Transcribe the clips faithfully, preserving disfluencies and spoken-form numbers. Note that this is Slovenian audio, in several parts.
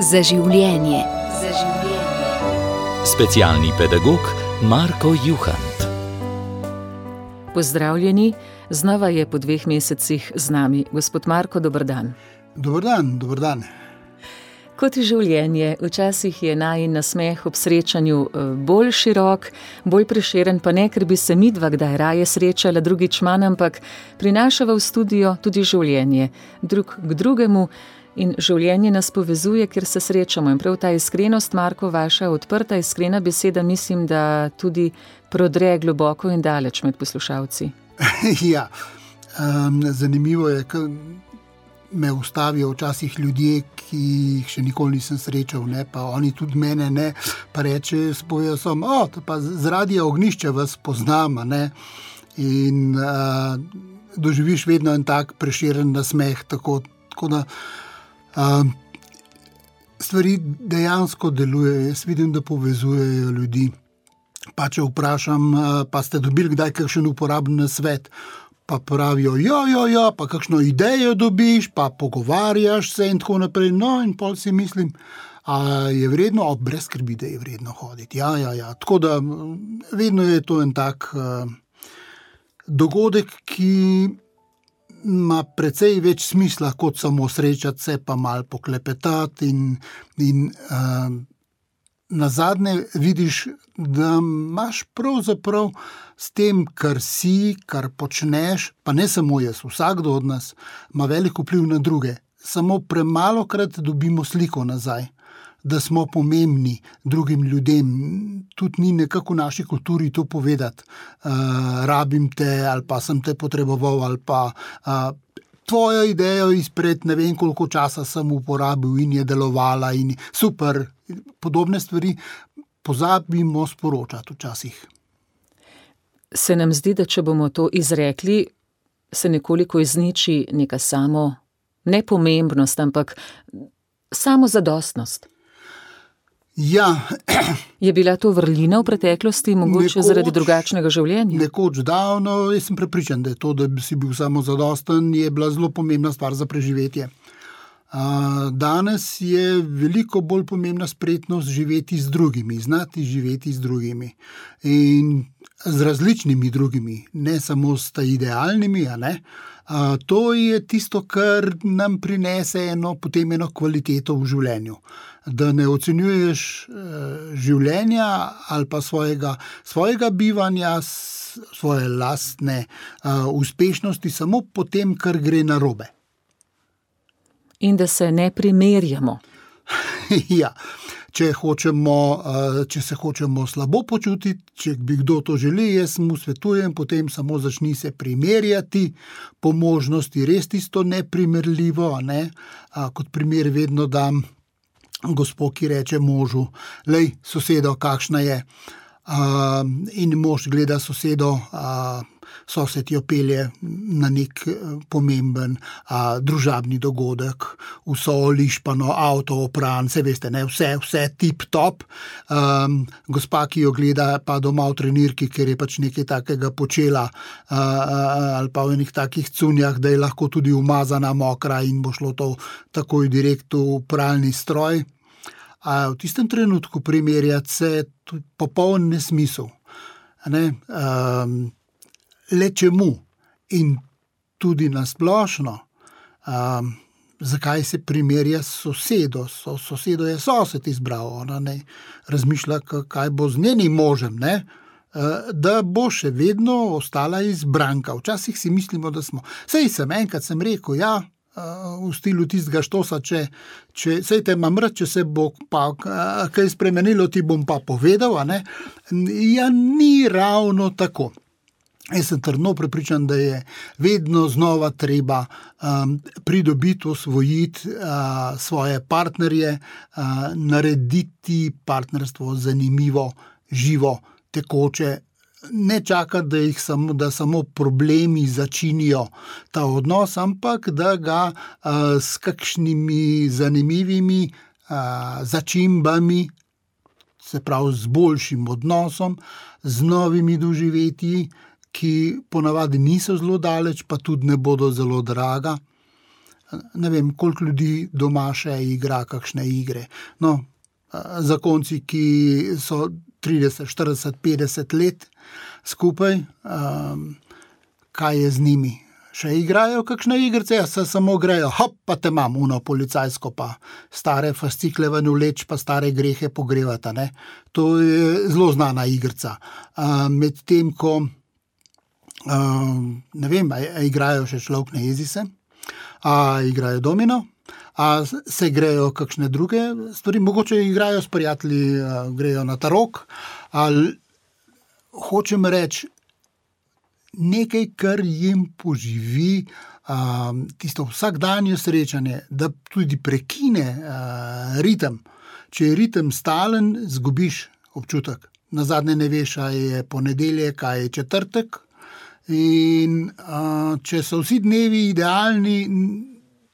Za življenje. Za življenje. Specialni pedagog Marko Juhant. Pozdravljeni, znova je po dveh mesecih z nami gospod Marko, dober dan. Dober dan, dober dan. Kot je življenje, včasih je najin nasmeh ob srečanju bolj širok, bolj prešeren, pa ne, ker bi se midva kdaj raje srečala, drugič manj, ampak prinašava v studio tudi življenje, drug k drugemu, in življenje nas povezuje, ker se srečamo. In prav ta iskrenost, Marko, vaša odprta, iskrena beseda, mislim, da tudi prodre globoko in daleč med poslušalci. Ja, um, zanimivo je, ker me ustavijo včasih ljudje, ki jih še nikoli nisem srečal, ne, pa oni tudi mene ne, pa reče, spovejo sem, o, pa z Radia Ognjišče vas poznam, ne, in uh, doživiš vedno en tak preširen nasmeh, tako, tako da uh, stvari dejansko delujejo. Jaz vidim, da povezujejo ljudi. Pa če vprašam, uh, pa ste dobili kdaj kakšen uporaben nasvet, pa pravijo, jo, jo, jo, pa kakšno idejo dobiš, pa pogovarjaš se in tako naprej. No, in pol si mislim, a je vredno, a brez skrbi, da je vredno hoditi. Ja, ja, ja. Tako da vedno je to en tak uh, dogodek, ki ima precej več smisla, kot samo srečati se, pa malo poklepetati in, in uh, nazadnje vidiš, da imaš pravzaprav s tem, kar si, kar počneš, pa ne samo jaz, vsakdo od nas ima velik vpliv na druge. Samo premalokrat dobimo sliko nazaj, da smo pomembni drugim ljudem. Tudi ni nekako v naši kulturi to povedati. Uh, rabim te, ali pa sem te potreboval, ali pa uh, tvojo idejo izpred ne vem koliko časa sem uporabil in je delovala in super. Podobne stvari pozabimo sporočati včasih. Se nam zdi, da če bomo to izrekli, se nekoliko izniči neka samo nepomembnost, ampak samozadostnost. Ja. Je bila to vrlina v preteklosti, mogoče nekoč, zaradi drugačnega življenja? Nekoč davno, jaz sem prepričan, da je to, da si bil samozadosten, je bila zelo pomembna stvar za preživetje. Danes je veliko bolj pomembna spretnost živeti z drugimi, znati živeti z drugimi in z različnimi drugimi, ne samo s idealnimi, a ne. A, to je tisto, kar nam prinese eno, potem eno kvaliteto v življenju. Da ne ocenjuješ e, življenja ali pa svojega, svojega bivanja, svoje lastne a, uspešnosti samo po tem, kar gre narobe. In da se ne primerjamo. Ja, če hočemo, če se hočemo slabo počutiti, če bi kdo to želi, jaz mu svetujem, potem samo začni se primerjati, po možnosti res tisto neprimerljivo, ne? Kot primer vedno dam gospo, ki reče možu, lej, sosedo, kakšna je, in mož gleda sosedo, sosed jo pelje na nek pomemben a, družabni dogodek, vso lišpano, avto opran, se veste, ne, vse, vse tip top. Um, gospa, ki jo gleda pa doma v trenirki, ker je pač nekaj takega počela, a, a, ali pa v enih takih cunjah, da je lahko tudi umazana, mokra in bo šlo to takoj direkt v pralni stroj. A v tistem trenutku primerjati se popoln nesmisel. Ne? Um, le čemu in tudi nasplošno, um, zakaj se primerja s sosedo. So, sosedo je sosed izbral, ona ne razmišlja, kaj bo z njenim možem, ne? Uh, da bo še vedno ostala izbranka. Včasih si mislimo, da smo. Sej sem, enkrat sem rekel, ja, uh, v stilu tistega štosa, če, če sej te imam rad, če se bo pa uh, kaj spremenilo, ti bom pa povedal, a ne? Ja, ni ravno tako. Jaz sem trdno prepričan, da je vedno znova treba um, pridobiti, osvojiti uh, svoje partnerje, uh, narediti partnerstvo zanimivo, živo, tekoče, ne čakati, da jih samo, da samo problemi začinijo ta odnos, ampak da ga uh, s kakšnimi zanimivimi uh, začimbami, se pravi z boljšim odnosom, z novimi doživetji, ki ponavadi niso zelo daleč, pa tudi ne bodo zelo draga, ne vem, koliko ljudi doma še igra kakšne igre. No, zakonci, ki so trideset, štirideset, petdeset let skupaj, kaj je z njimi? Še igrajo kakšne igrice, se samo grejo, hop, pa te imam, uno policajsko, pa stare fascikle ven vleč, pa stare grehe pogrevata, ne. To je zelo znana igrica. Med tem, ko, ne vem, a, a igrajo še Človek ne jezi se, a igrajo domino, a se grejo kakšne druge stvari, mogoče igrajo s prijatelji, grejo na tarok, ali hočem reči, nekaj, kar jim poživi um, tisto vsakdanje srečanje, da tudi prekine uh, ritem. Če je ritem stalen, zgubiš občutek. Nazadnje ne veš, a je ponedeljek, a je četrtek. In uh, če so vsi dnevi idealni,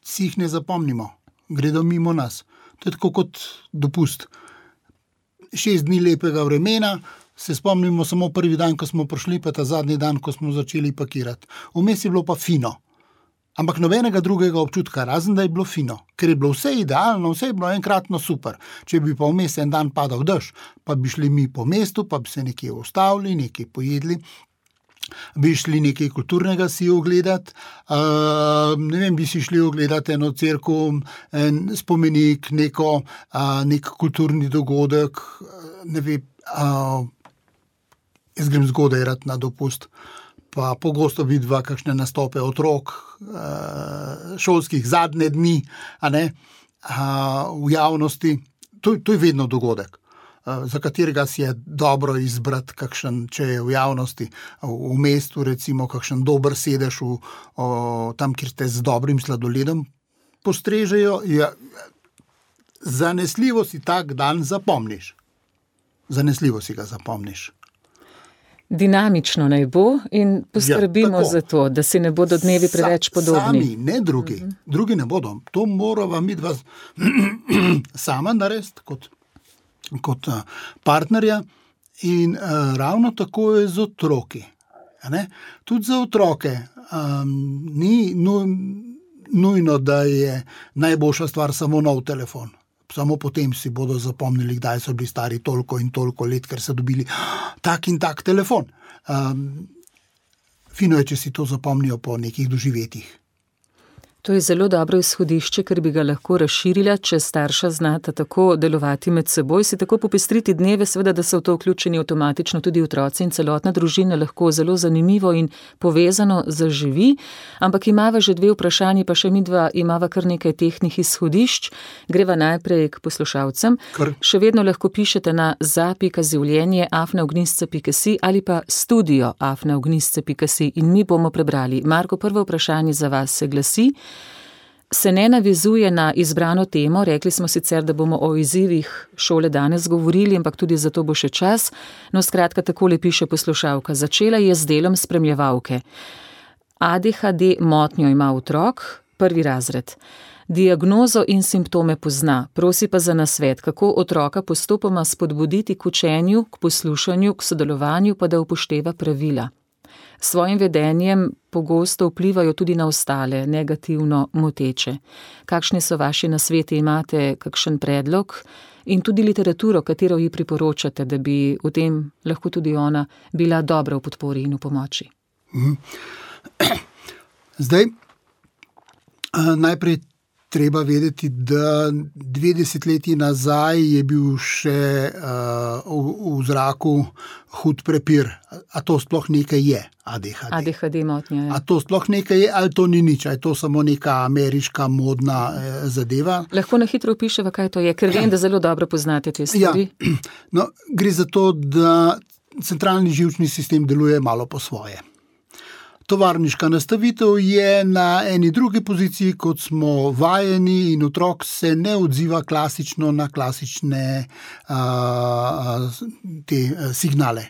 si jih ne zapomnimo. Gredo mimo nas. To je tako kot dopust. Šest dni lepega vremena, se spomnimo samo prvi dan, ko smo prišli, pa ta zadnji dan, ko smo začeli pakirati. Vmes je bilo pa fino. Ampak nobenega drugega občutka, razen da je bilo fino. Ker je bilo vse idealno, vse je bilo enkratno super. Če bi pa vmes en dan padal dež, pa bi šli mi po mestu, pa bi se nekje ustavili, nekaj pojedli, bi šli nekaj kulturnega si ogledati, uh, ne vem, bi si šli ogledati eno cerkev, en spomenik, neko, uh, nek kulturni dogodek, ne vem, uh, jaz grem zgodaj rad na dopust, pa pogosto vidva kakšne nastope otrok, šolskih zadnje dni, a ne, v javnosti. To, to je vedno dogodek, za katerega si je dobro izbrati kakšen, če je v javnosti, v mestu recimo, kakšen dober sedež v, o, tam, kjer ste z dobrim sladoledom postrežejo, ja, zanesljivo si tak dan zapomniš. Zanesljivo si ga zapomniš. Dinamično naj bo in poskrbimo ja, za to, da si ne bodo dnevi preveč podobni. Sami, ne drugi. Uh-huh. Drugi ne bodo. To morava midva sama narediti kot, kot partnerja in uh, ravno tako je z otroki. Ne? Tudi za otroke um, ni nu, nujno, da je najboljša stvar samo nov telefon. Samo potem si bodo zapomnili, kdaj so bili stari toliko in toliko let, ker so dobili tak in tak telefon. Um, fino je, če si to zapomnijo po nekih doživetjih. To je zelo dobro izhodišče, ker bi ga lahko razširila, če starša znata tako delovati med seboj, si tako popestriti dneve, seveda, da so v to vključeni avtomatično tudi otroci in celotna družina lahko zelo zanimivo in povezano zaživi. Ampak imava že dve vprašanji, pa še midva imava kar nekaj tehnih izhodišč. Greva najprej k poslušalcem. Kar? Še vedno lahko pišete na za pika življenje afna ognjišče pika si ali pa studio afna ognjišče pika si in mi bomo prebrali. Marko, prvo vprašanje za vas se glasi. Se ne navizuje na izbrano temo, rekli smo sicer, da bomo o izzivih šole danes govorili, ampak tudi za to bo še čas. No, skratka, takole piše poslušalka. Začela je z delom spremljevalke. A D H D motnjo ima otrok, prvi razred. Diagnozo in simptome pozna, prosi pa za nasvet, kako otroka postopoma spodbuditi k učenju, k poslušanju, k sodelovanju, pa da upošteva pravila. Svojim vedenjem pogosto vplivajo tudi na ostale, negativno moteče. Kakšni so vaši nasveti, imate kakšen predlog in tudi literaturo, katero ji priporočate, da bi v tem lahko tudi ona bila dobra v podpori in v pomoči? Zdaj, najprej treba vedeti, da dve desetletji nazaj je bil še uh, v, v zraku hud prepir. A to sploh nekaj je, A D H D? A D H D motnja je. A to sploh nekaj je, ali to ni nič? A je to samo neka ameriška modna eh, zadeva? Lahko na hitro opiševa, kaj to je, ker vem, da zelo dobro poznate te stvari. Ja. No, gre za to, da centralni živčni sistem deluje malo po svoje. Tovarniška nastavitev je na eni drugi poziciji, kot smo vajeni in otrok se ne odziva klasično na klasične uh, te signale.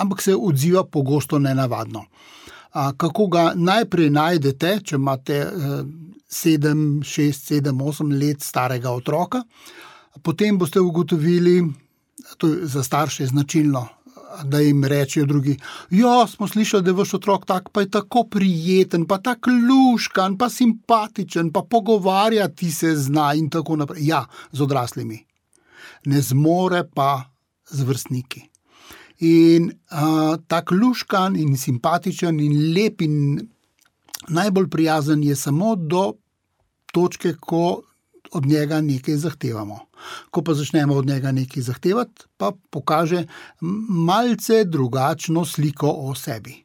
Ampak se odziva pogosto nenavadno. Uh, kako ga najprej najdete, če imate uh, sedem, šest, sedem, osem let starega otroka, potem boste ugotovili, to je za starše značilno, da jim rečejo drugi, ja, smo slišali, da je vaš otrok tak, pa je tako prijeten, pa tak luškan, pa simpatičen, pa pogovarjati se zna in tako naprej. Ja, z odraslimi. Ne zmore pa z vrstniki. In uh, tak luškan in simpatičen in lep in najbolj prijazen je samo do točke, ko od njega nekaj zahtevamo. Ko pa začnemo od njega nekaj zahtevati, pa pokaže malce drugačno sliko o sebi.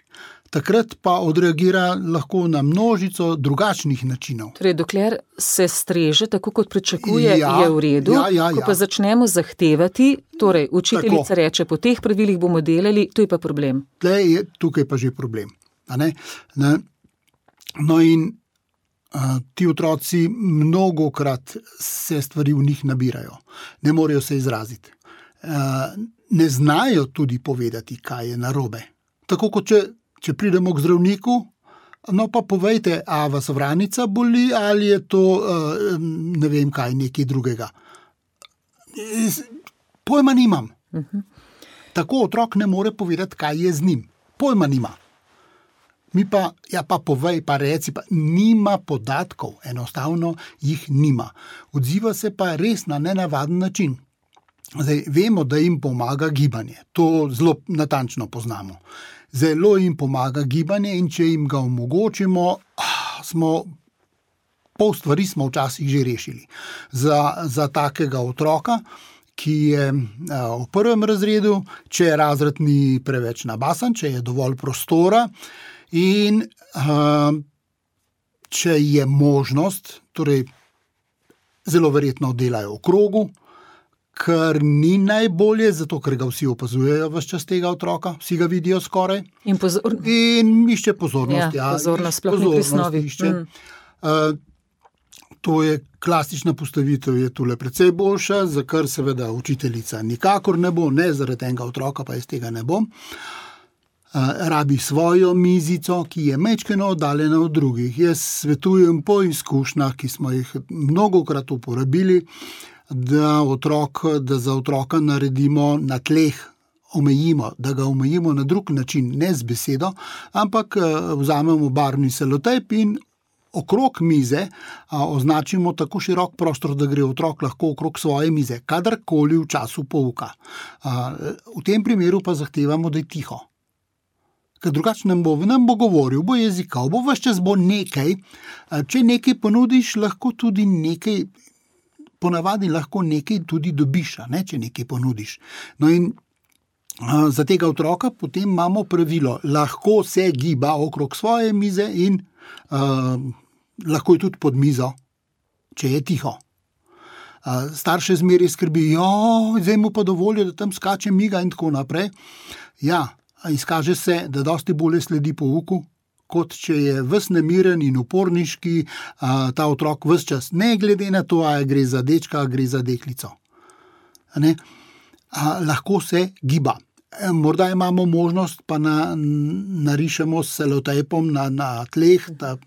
Takrat pa odreagira lahko na množico drugačnih načinov. Torej, dokler se streže tako, kot pričakuje, ja, je v redu. Ja, ja, ko ja. pa začnemo zahtevati, torej učiteljica tako reče, po teh pravilih bomo delali, to je pa problem. Tle je tukaj pa že problem. A ne? Ne? No in uh, ti otroci mnogokrat se stvari v njih nabirajo. Ne morejo se izraziti. Uh, ne znajo tudi povedati, kaj je narobe. Tako kot če Če pridemo k zdravniku, no pa povejte, a vas vranica boli ali je to, ne vem kaj, nekaj drugega. Pojma nimam. Uh-huh. Tako otrok ne more povedati, kaj je z njim. Pojma nima. Mi pa, ja pa povej, pa reci, pa nima podatkov, enostavno jih nima. Odziva se pa res na nenavaden način. Zdaj, vemo, da jim pomaga gibanje. To zelo natančno poznamo. Zelo jim pomaga gibanje in če jim ga omogočimo, smo, pol stvari smo včasih že rešili. Za, za takega otroka, ki je v prvem razredu, če razred ni preveč nabasan, če je dovolj prostora in če je možnost, torej zelo verjetno delajo v krogu, kar ni najbolje, zato ker ga vsi opazujejo ves čas tega otroka, vsi ga vidijo skoraj. In, pozor... in išče pozornost. Ja, ja, pozornost, sploh ni pri snovi. Mm. Uh, to je klasična postavitev, je tule precej boljša, za kar seveda učiteljica nikakor ne bo, ne zaradi enega otroka, pa iz tega ne bom. Uh, rabi svojo mizico, ki je majčkeno oddaljena od drugih. Jaz svetujem po izkušnjah, ki smo jih mnogokrat uporabili, Da, otrok, da za otroka naredimo na tleh, omejimo, da ga omejimo na drug način, ne z besedo, ampak vzamemo barvni selotejp in okrog mize a, označimo tako širok prostor, da gre otrok lahko okrog svoje mize, kadarkoli v času pouka. A, v tem primeru pa zahtevamo, da je tiho. Ker drugače nam bo, nam bo govoril, bo jezikal, bo ves čas bo nekaj. A, če nekaj ponudiš, lahko tudi nekaj ponavadi lahko nekaj tudi dobiš, ne, če nekaj ponudiš. No in a, za tega otroka potem imamo pravilo, lahko se giba okrog svoje mize in a, lahko je tudi pod mizo, če je tiho. A, starše zmeraj skrbi, jo, zdaj mu pa dovolijo, da tam skače miga in tako naprej. Ja, izkaže se, da dosti bolje sledi pouku, kot če je ves nemiren in uporniški a, ta otrok ves čas, ne glede na to, a gre za dečka, a gre za deklico. Ne? A, lahko se giba. E, morda imamo možnost, pa na, narišemo s selotejpom na, na tleh, ta,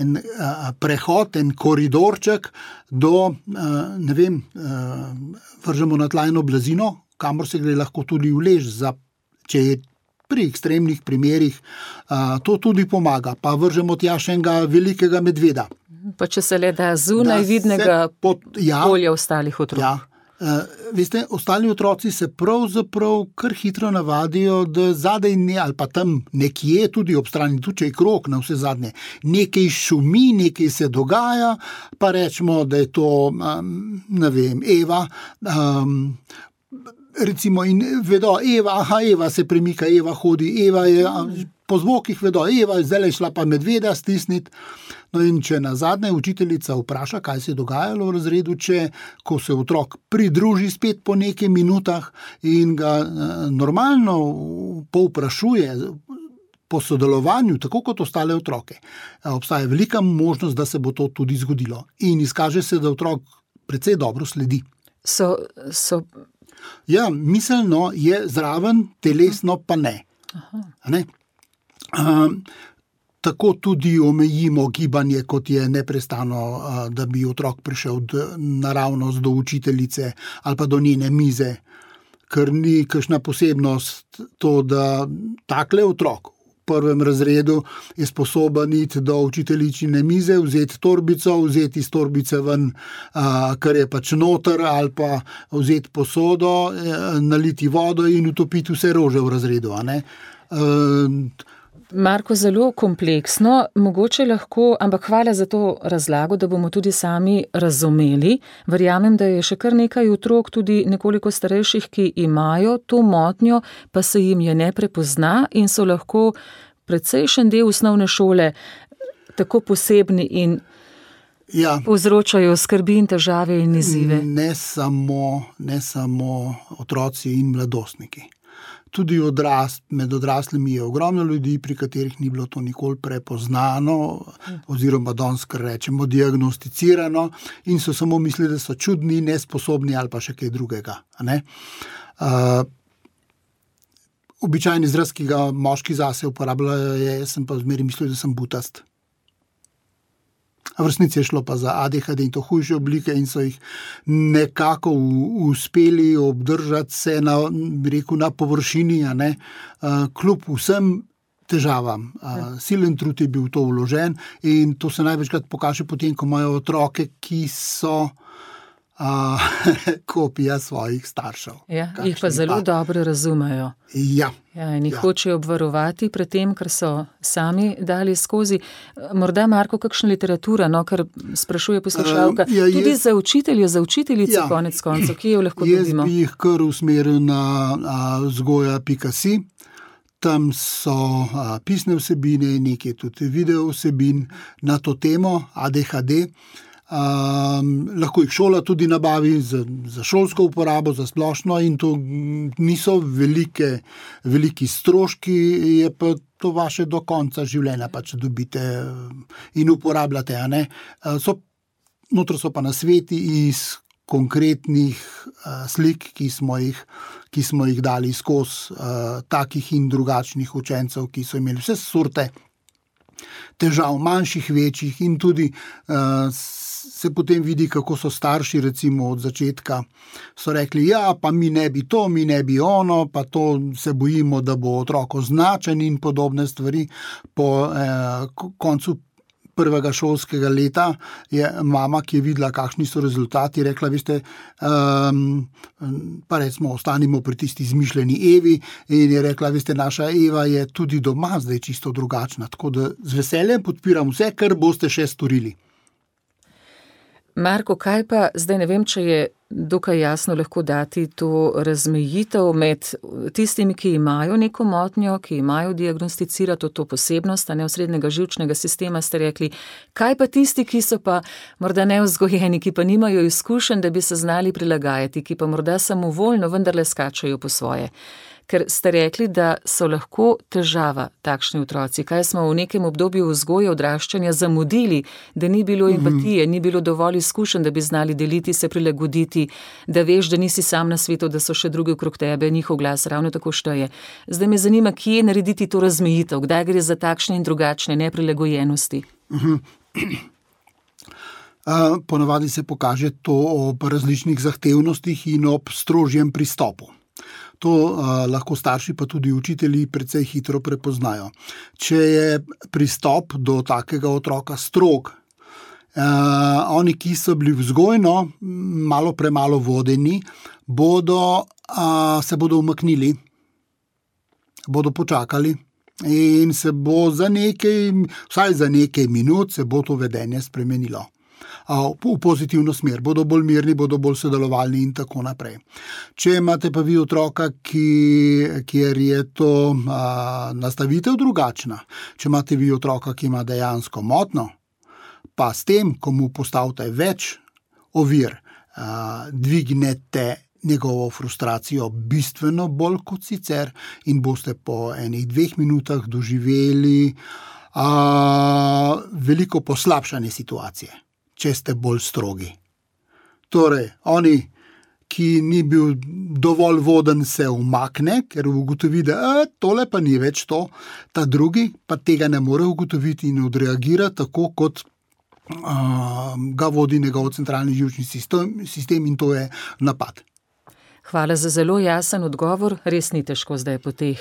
en a, prehod, en koridorček do, a, ne vem, a, vržemo na tlajno blazino, kamor se gre lahko tudi vlež, za, če je pri ekstremnih primerih a, to tudi pomaga. Pa vržemo tja še enega velikega medveda. Pa če se le da zunaj vidnega pod, ja, polja ostalih otrok. Ja. A, veste, ostali otroci se pravzaprav kar hitro navadijo, da zadaj ne, ali pa tam nekje tudi ob strani, tudi če je krog na vse zadnje, nekaj šumi, nekaj se dogaja, pa rečemo, da je to, um, ne vem, Eva, um, recimo in vedo, Eva, aha, Eva se premika, Eva hodi, Eva je, po zvokih vedo, Eva je zdaj šla pa medveda stisniti. No in če nazadnje učiteljica vpraša, kaj se je dogajalo v razredu, če, ko se otrok pridruži spet po nekaj minutah in ga normalno povprašuje po sodelovanju, tako kot ostale otroke, obstaja velika možnost, da se bo to tudi zgodilo. In izkaže se, da otrok precej dobro sledi. So, so... Ja, miselno je zraven, telesno pa ne. ne? Um, tako tudi omejimo gibanje, kot je neprestano, uh, da bi otrok prišel d- naravnost do učiteljice ali pa do njene mize. ker ni kakšna posebnost to, da takle otrok v prvem razredu je sposoben iti do učiteljičine mize, vzeti torbico, vzeti iz torbice ven, a, kar je pač noter, ali pa vzeti posodo, naliti vodo in utopiti vse rože v razredu, a ne. E, Marko, zelo kompleksno, mogoče lahko, ampak hvala za to razlago, da bomo tudi sami razumeli. Verjamem, da je še kar nekaj otrok, tudi nekoliko starejših, ki imajo to motnjo, pa se jim je ne prepozna in so lahko precejšen del osnovne šole tako posebni in ja, povzročajo skrbi in težave in izzive. Ne samo, ne samo otroci in mladostniki. Tudi odrast, med odraslimi je ogromno ljudi, pri katerih ni bilo to nikoli prepoznano, oziroma danes, kar rečemo, diagnosticirano in so samo mislili, da so čudni, nesposobni ali pa še kaj drugega. Ne? Uh, običajni izraz, ki ga moški zase uporabljajo, je, jaz sem pa zmeraj mislil, da sem butast. V resnici je šlo pa za A D H D in to hujše oblike in so jih nekako uspeli obdržati se na, bi rekel, na površini, a ne, kljub vsem težavam. Silen trud je bil to vložen in to se največkrat pokaže potem, ko imajo otroke, ki so a, kopija svojih staršev. Ja, jih pa zelo pa dobro razumejo. Ja. Ja, in jih ja. hočejo obvarovati pred tem, kar so sami dali skozi. Morda, Marko, kakšna literatura, no, kar sprašuje poslušalka, uh, ja, tudi jaz, za učitelje, za učiteljice, ja, konec koncev, ki jo lahko jaz dobimo. Jaz bi jih kar usmeril na vzgoja pika si. Tam so a, pisne vsebine, nekaj tudi video vsebin na to temo A D H D. Um, lahko jih šola tudi nabavi za, za šolsko uporabo, za splošno in to niso velike, veliki stroški, je pa to vaše do konca življenja, pa če dobite in uporabljate. A ne? So, notro so pa nasveti iz konkretnih uh, slik, ki smo jih, ki smo jih dali skozi uh, takih in drugačnih učencev, ki so imeli vse sorte težav, manjših, večjih in tudi uh, se potem vidi, kako so starši recimo od začetka so rekli, ja, pa mi ne bi to, mi ne bi ono, pa to se bojimo, da bo otrok označen in podobne stvari. Po eh, koncu prvega šolskega leta je mama, ki je videla, kakšni so rezultati, rekla, veste, um, pa recimo ostanimo pri tisti izmišljeni Evi in je rekla, veste, naša Eva je tudi doma zdaj čisto drugačna, tako da z veseljem podpiram vse, kar boste še storili. Marko, kaj pa, zdaj ne vem, če je dokaj jasno lahko dati to razmejitev med tistimi, ki imajo neko motnjo, ki imajo diagnosticirato to posebnost, a ne osrednjega živčnega sistema, ste rekli, kaj pa tisti, ki so pa morda nevzgojeni, ki pa nimajo izkušenj, da bi se znali prilagajati, ki pa morda samovoljno vendarle skačajo po svoje. Ker ste rekli, da so lahko težava takšni otroci. Kaj smo v nekem obdobju vzgoje odraščanja zamudili, da ni bilo empatije, ni bilo dovolj izkušenj, da bi znali deliti, se prilagoditi, da veš, da nisi sam na svetu, da so še drugi okrog tebe, njihov glas ravno tako šteje. Zdaj me zanima, kje narediti to razmejitev, kdaj gre za takšne in drugačne neprilagojenosti. Uh-huh. Uh, ponavadi se pokaže to ob različnih zahtevnostih in ob strožjem pristopu. To uh, lahko starši pa tudi učitelji precej hitro prepoznajo. Če je pristop do takega otroka strog, uh, oni, ki so bili vzgojno malo premalo vodeni, bodo, uh, se bodo umaknili, bodo počakali in se bo za nekaj, vsaj za nekaj minut se bo to vedenje spremenilo. V pozitivno smer, bodo bolj mirni, bodo bolj sodelovalni in tako naprej. Če imate pa vi otroka, ki, kjer je to a, nastavitev drugačna, če imate vi otroka, ki ima dejansko motno, pa s tem, ko mu postavite več ovir, a, dvignete njegovo frustracijo bistveno bolj kot sicer in boste po enih dveh minutah doživeli a, veliko poslabšanje situacije, če ste bolj strogi. Torej, oni, ki ni bil dovolj voden, se umakne, ker ugotovi, da e, tole pa ni več to, ta drugi pa tega ne more ugotoviti in odreagira tako, kot uh, ga vodi njegov centralni živčni sistem, sistem in to je napad. Hvala za zelo jasen odgovor, res ni težko zdaj po teh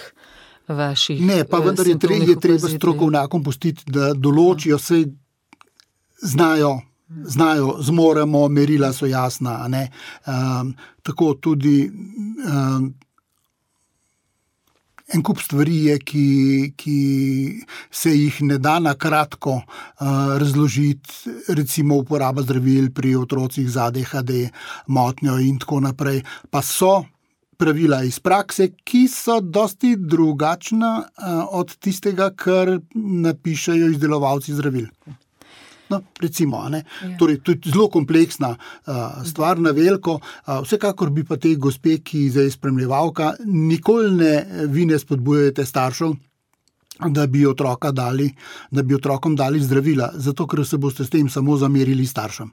vaših Ne, pa vendar je, tre, je treba strokovnjakom pustiti, da določijo, se znajo, znajo, zmoremo, merila so jasna. A ne? Um, tako tudi um, en kup stvari je, ki, ki se jih ne da na kratko uh, razložiti, recimo uporaba zdravil pri otrocih z A D H D, motnjo in tako naprej, pa so pravila iz prakse, ki so dosti drugačna uh, od tistega, kar napišejo izdelovalci zdravil. No, recimo, ne? Ja. Torej, to je zelo kompleksna uh, stvar na veliko. Uh, vsekakor bi pa te gospe, ki zdaj spremljevalka, nikoli ne, vi ne spodbujate staršev, da bi otroka dali, da bi otrokom dali zdravila, zato ker se boste s tem samo zamerili staršem.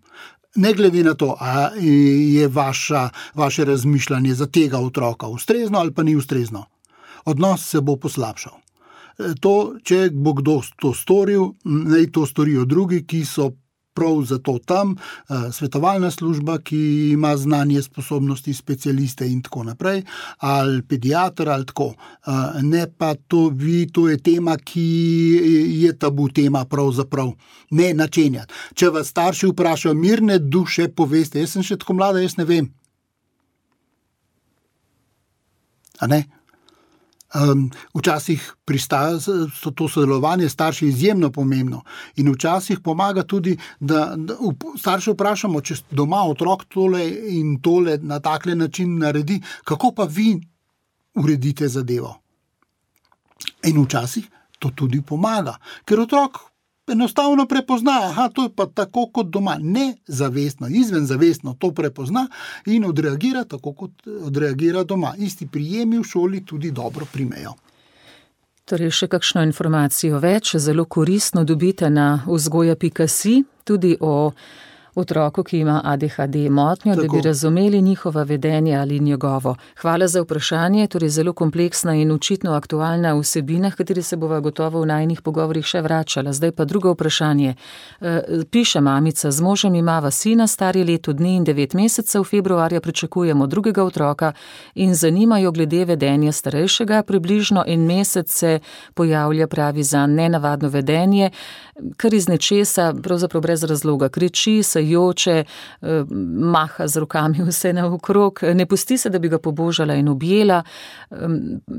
Ne glede na to, a je vaša, vaše razmišljanje za tega otroka ustrezno ali pa ni ustrezno. Odnos se bo poslabšal. To, če bo kdo to storil, naj to storijo drugi, ki so prav zato tam, svetovalna služba, ki ima znanje, sposobnosti, specialiste in tako naprej, ali pediater ali tako. Ne pa to, vi, to je tema, ki je tabu tema pravzaprav. Ne načenjati. Če vas starši vprašajo, mirne duše poveste, jaz sem še tako mlada, jaz ne vem. A ne? Um, včasih pristaja so to sodelovanje starši izjemno pomembno in včasih pomaga tudi, da, da starše vprašamo, če doma otrok tole in tole na takle način naredi, kako pa vi uredite zadevo. In včasih to tudi pomaga, ker otrok enostavno prepozna, aha, to je pa tako kot doma, nezavestno, izvenzavestno to prepozna in odreagira tako, kot odreagira doma. Isti prijemi v šoli tudi dobro primejo. Torej, še kakšno informacijo več, zelo koristno dobite na vzgoja pika si, tudi o otroku, ki ima A D H D motnjo, tako, da bi razumeli njihova vedenja ali njegovo. Hvala za vprašanje, torej zelo kompleksna in očitno aktualna vsebina, v kateri se bova gotovo v najinih pogovorih še vračala. Zdaj pa drugo vprašanje. Piše mamica, z možem imava sina, stari leto dni in devet mesecev, februarja pričakujemo drugega otroka in zanimajo glede vedenja starejšega, približno en mesec se pojavlja, pravi, za nenavadno vedenje, kar iz nečesa, pravzaprav brez razloga, kriči, se joče, maha z rokami vse naokrog, ne pusti se, da bi ga pobožala in objela,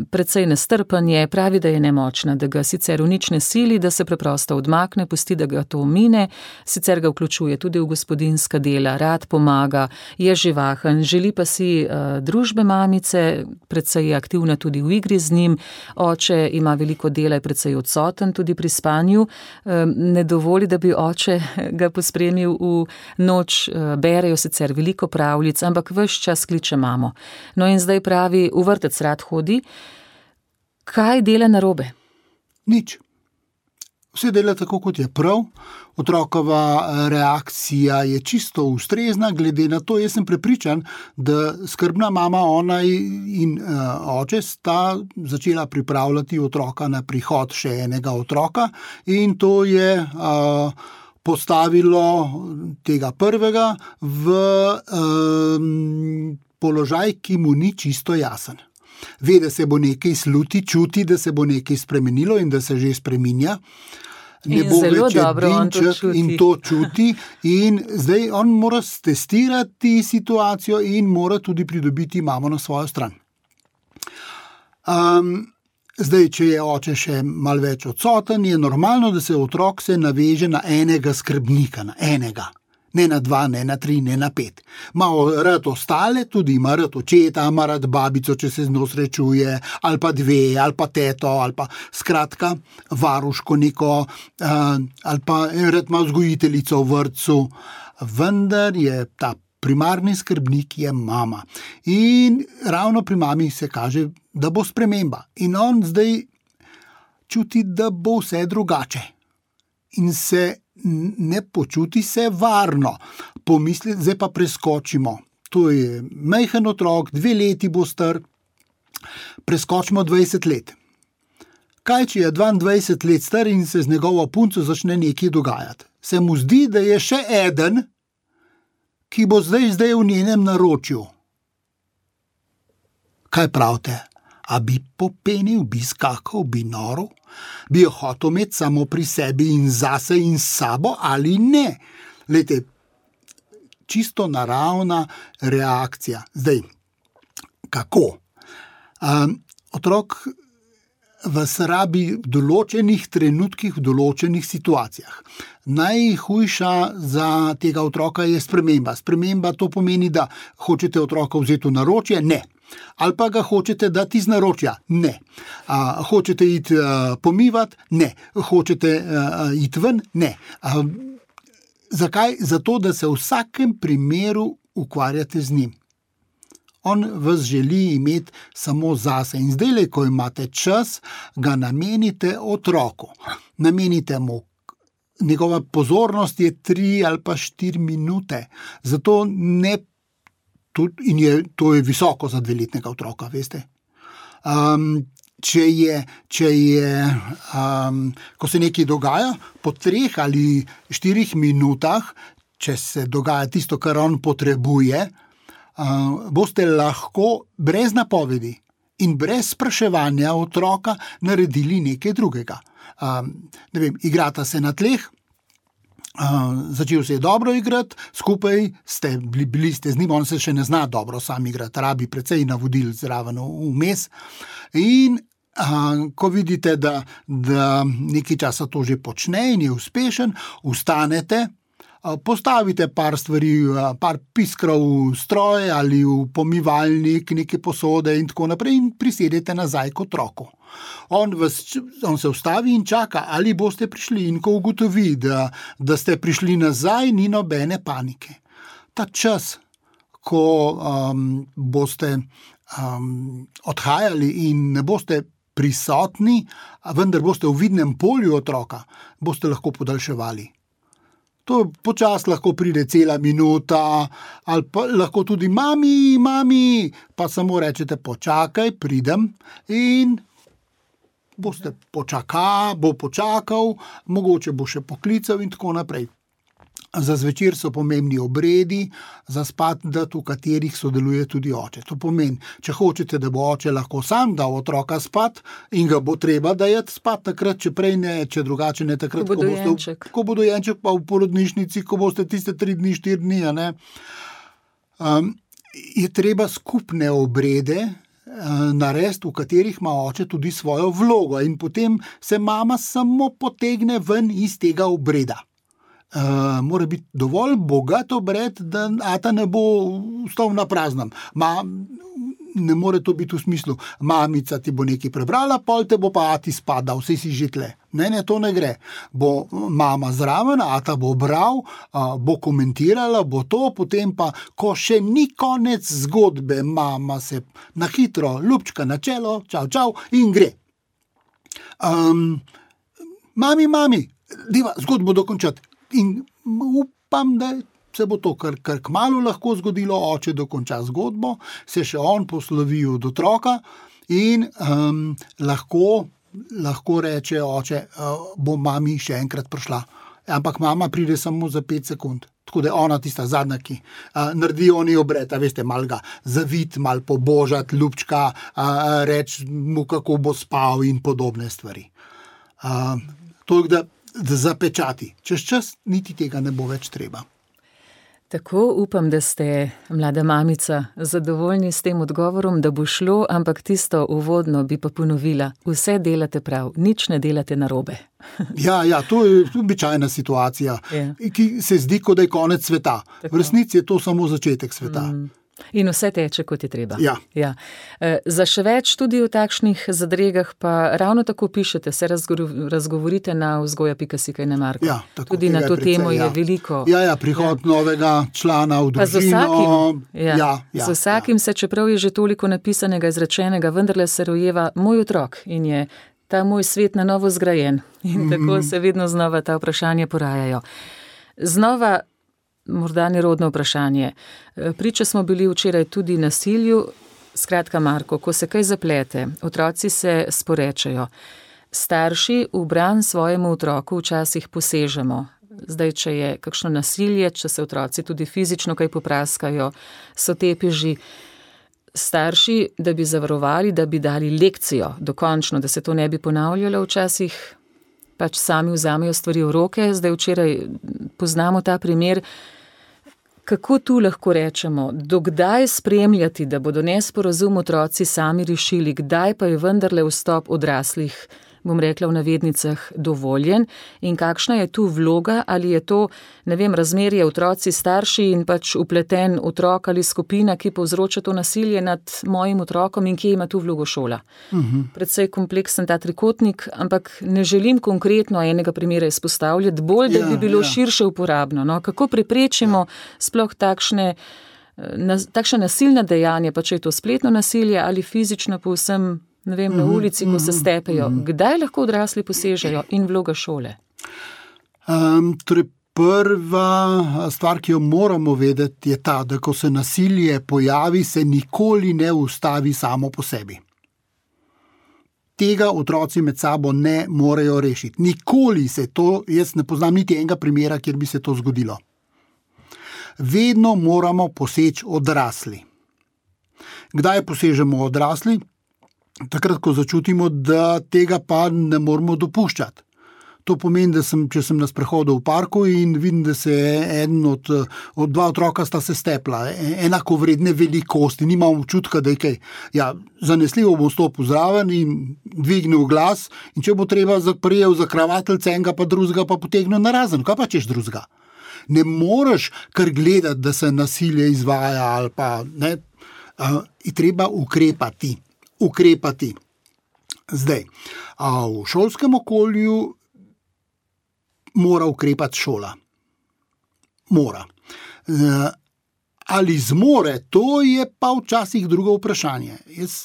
precej nestrpanje, pravi, da je nemočna, da ga sicer v nič ne sili, da se preprosto odmakne, pusti, da ga to mine, sicer ga vključuje tudi v gospodinjska dela, rad pomaga, je živahen, želi pa si uh, družbe mamice, precej je aktivna tudi v igri z njim, oče ima veliko dela, je precej odsoten tudi pri spanju, uh, ne dovoli, da bi oče ga pospremil v noč, berejo sicer veliko pravljic, ampak ves čas kliče mamo. No in zdaj pravi, v vrtec rad hodi. Kaj dela narobe? Nič. Vse dela tako, kot je prav. Otrokova reakcija je čisto ustrezna, glede na to, jaz sem prepričan, da skrbna mama, ona in uh, oče sta začela pripravljati otroka na prihod še enega otroka in to je uh, postavilo tega prvega v um, položaj, ki mu ni čisto jasen. Ve, da se bo nekaj sluti, čuti, da se bo nekaj spremenilo in da se že spreminja. Ne in bo zelo več dobro on to čuti. In to čuti. In zdaj on mora testirati situacijo in mora tudi pridobiti mamo na svojo stran. Um, Zdaj, če je oče še malo več odsoten, je normalno, da se otrok se naveže na enega skrbnika, na enega. Ne na dva, ne na tri, ne na pet. Ma rad ostale, tudi ima rad očeta, ima rad babico, če se z njo srečuje, ali pa dve, ali pa teto, ali pa skratka varuško neko, uh, ali pa rad ima vzgojiteljico v vrtcu. Vendar je ta primarni skrbnik je mama. In ravno pri mami se kaže, da bo sprememba. In on zdaj čuti, da bo vse drugače. In se ne počuti se varno. Pomisli, zdaj pa preskočimo. To je majhen otrok, dve leti bo star, preskočimo dvajset let. Kaj, če je dvaindvajset let star in se z njegovo punco začne nekaj dogajati? Se mu zdi, da je še eden, ki bo zdaj, zdaj v njenem naročju. Kaj pravite? A bi popenil, bi skakal, bi noril? Bi jo hotel imeti samo pri sebi in zase in sabo ali ne? Lejte, čisto naravna reakcija. Zdaj, kako? Um, otrok vas rabi v določenih trenutkih, v določenih situacijah. Najhujša za tega otroka je sprememba. Sprememba to pomeni, da hočete otroka vzeti v naročje? Ne. Ali pa ga hočete dati iz naročja? Ne. A, hočete iti a, pomivati? Ne. Hočete a, iti ven? Ne. A, zakaj? Zato, da se v vsakem primeru ukvarjate z njim. On vas želi imeti samo zase in zdaj, ko imate čas, ga namenite otroku. Namenite mu, njegova pozornost je tri ali pa štiri minute, zato ne, tudi, in je, to je visoko za dveletnega otroka, veste. Um, če je, če je um, ko se nekaj dogaja, po treh ali štirih minutah, če se dogaja tisto, kar on potrebuje, Uh, boste lahko brez napovedi in brez spraševanja otroka naredili nekaj drugega. Uh, ne vem, igrata se na tleh, uh, začel se je dobro igrati, skupaj ste bili, bili ste z njim, on se še ne zna dobro sam igrati, rabi precej navodil zraven vmes. In uh, ko vidite, da, da nekaj časa to že počne in je uspešen, vstanete, postavite par stvari, par piskrov v stroj ali v pomivalnik, neke posode in tako naprej in prisedete nazaj k otroku. On, vas, on se ustavi in čaka, ali boste prišli in ko ugotovi, da, da ste prišli nazaj, ni nobene panike. Ta čas, ko um, boste um, odhajali in ne boste prisotni, vendar boste v vidnem polju otroka, boste lahko podaljševali. To počas lahko pride cela minuta, ali pa lahko tudi mami, mami, pa samo rečete počakaj, pridem in boste počakal, bo počakal, mogoče bo še poklical in tako naprej. Za zvečer so pomembni obredi, za spat, v katerih sodeluje tudi oče. To pomeni, če hočete, da bo oče lahko sam dal otroka spat in ga bo treba dajati spat takrat, če prej ne, če drugače ne takrat, ko bo dojenček. Ko bo dojenček pa v porodnišnici, ko boste tiste tri dni, štiri dni, ne, um, je treba skupne obrede narediti, v katerih ima oče tudi svojo vlogo in potem se mama samo potegne ven iz tega obreda. Uh, mora biti dovolj bogat obred, da ata ne bo stal na praznem. Ma, ne more to biti v smislu, mamica ti bo nekaj prebrala, pol te bo pa ati spadal, vse si že tle. Ne, ne, to ne gre. Bo mama zraven, ata bo bral, uh, bo komentirala, bo to, potem pa, ko še ni konec zgodbe, mama se na hitro ljubčka na čelo, čau, čau, in gre. Um, mami, mami, deva zgodbo dokončati. In upam, da se bo to kar, kar kmalu lahko zgodilo, oče dokonča zgodbo, se še on poslovi od otroka in um, lahko, lahko reče oče, uh, bo mami še enkrat prišla. Ampak mama pride samo za pet sekund. Tako da je ona tista zadnja, ki uh, naredi oni obred, a veste, mal ga zavit, mal pobožat, ljubčka, uh, reč mu, kako bo spal in podobne stvari. Uh, to je, da da zapečati. Čez čas niti tega ne bo več treba. Tako upam, da ste, mlada mamica, zadovoljni s tem odgovorom, da bo šlo, ampak tisto uvodno bi pa ponovila. Vse delate prav, nič ne delate narobe. Ja, ja, to je običajna situacija, ja. Ki se zdi, kot da je konec sveta. Tako. V resnici je to samo začetek sveta. Mm. In vse teče, kot je treba. Ja. Ja. E, za še več tudi v takšnih zadregah pa ravno tako pišete, se razgovorite na vzgoja pika si kaj ne Marko. Ja, tako, tudi na to precej, temo ja. Je veliko. Ja, ja, prihod ja. novega člana v družino. Pa z vsakim, ja, ja, ja, z vsakim ja. se, čeprav je že toliko napisanega, izrečenega, vendarle se rojeva moj otrok in je ta moj svet na novo zgrajen. In mm-hmm. tako se vedno znova ta vprašanja porajajo. Znova morda nerodno vprašanje. Priča smo bili včeraj tudi nasilju. Skratka, Marko, ko se kaj zaplete, otroci se sporečajo. Starši v bran svojemu otroku včasih posežemo. Zdaj, če je kakšno nasilje, če se otroci tudi fizično kaj popraskajo, so tepeži. starši, da bi zavarovali, da bi dali lekcijo dokončno, da se to ne bi ponavljalo včasih, pač sami vzamejo stvari v roke. Zdaj včeraj poznamo ta primer. Kako tu lahko rečemo, dokdaj spremljati, da bodo nesporazum otroci sami rešili, kdaj pa je vendarle vstop odraslih, bom rekla v navednicah, dovoljen in kakšna je tu vloga, ali je to, ne vem, razmerje otroci starši in pač upleten otrok ali skupina, ki povzroča to nasilje nad mojim otrokom in kje ima tu vlogo šola. Uh-huh. Predvsej kompleksen ta trikotnik, ampak ne želim konkretno enega primera izpostavljati, bolj, da bi bilo ja, ja. širše uporabno. No? Kako preprečimo ja. sploh takšne, na, takšne nasilne dejanja, pa če je to spletno nasilje ali fizično povsem, ne vem, na ulici, ko se stepejo. Kdaj lahko odrasli posežejo in vloga šole? Um, torej prva stvar, ki jo moramo vedeti, je ta, da ko se nasilje pojavi, se nikoli ne ustavi samo po sebi. Tega otroci med sabo ne morejo rešiti. Nikoli se to, jaz ne poznam niti enega primera, kjer bi se to zgodilo. Vedno moramo poseči odrasli. Kdaj posežemo odrasli? Takrat, ko začutimo, da tega pa ne moramo dopuščati. To pomeni, da sem, če sem na sprehodu v parku in vidim, da se eden od, od dva otroka sta se stepla, enako vredne velikosti, nimam občutka, da je kaj. Ja, zanesljivo bom stopil zraven in dvignil glas in če bo treba prijel za kravateljce enega pa drugega, pa potegnil narazen. Kaj pa češ drugega? Ne moreš kar gledati, da se nasilje izvaja ali pa ne. Uh, je treba ukrepati. ukrepati. Zdaj, a v šolskem okolju mora ukrepati šola. Mora. E, ali zmore, to je pa včasih drugo vprašanje. Jaz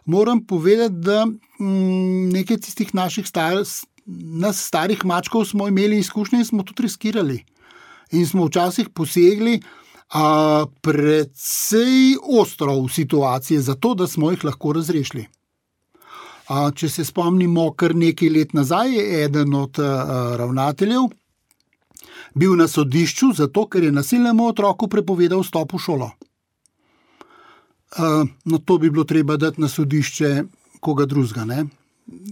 moram povedati, da m, nekaj tistih naših star, nas starih mačkov smo imeli izkušnje in smo tudi riskirali. In smo včasih posegli A predvsej ostro v situacije za to, da smo jih lahko razrešili. A če se spomnimo, kar nekaj let nazaj je eden od a, ravnateljev bil na sodišču zato, ker je nasilnemu otroku prepovedal vstop v šolo. A, no, to bi bilo treba dati na sodišče koga drugega, ne?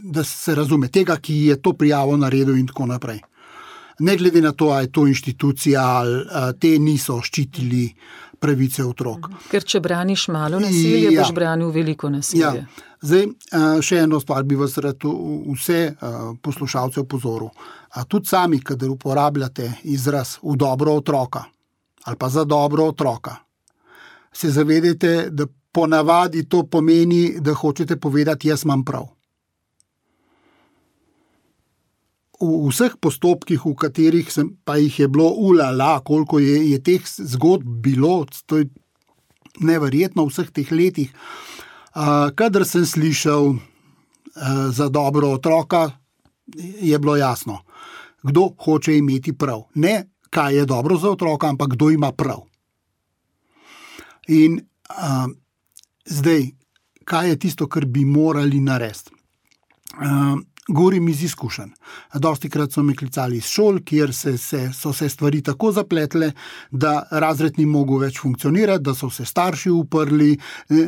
Da se razume, tega, ki je to prijavo naredil in tako naprej. Ne glede na to, ali je to inštitucija, ali te niso ščitili pravice otrok. Ker če braniš malo nasilje, ja. boš branil veliko nasilje. Ja. Zdaj, še eno stvar bi vas rad vse poslušalce opozoril. Tudi sami, kadar uporabljate izraz v dobro otroka ali pa za dobro otroka, se zavedajte, da ponavadi to pomeni, da hočete povedati, jaz imam prav. V vseh postopkih, v katerih sem, pa jih je bilo ulala, koliko je, je teh zgodb bilo, to je neverjetno v vseh teh letih. Uh, kadar sem slišal uh, za dobro otroka, je bilo jasno, kdo hoče imeti prav. Ne, kaj je dobro za otroka, ampak kdo ima prav. In uh, zdaj, kaj je tisto, kar bi morali narediti? Uh, Govorim iz izkušenj. Dostikrat so me klicali iz šol, kjer se, se, so se stvari tako zapletle, da razred ni mogel več funkcionirati, da so se starši uprli,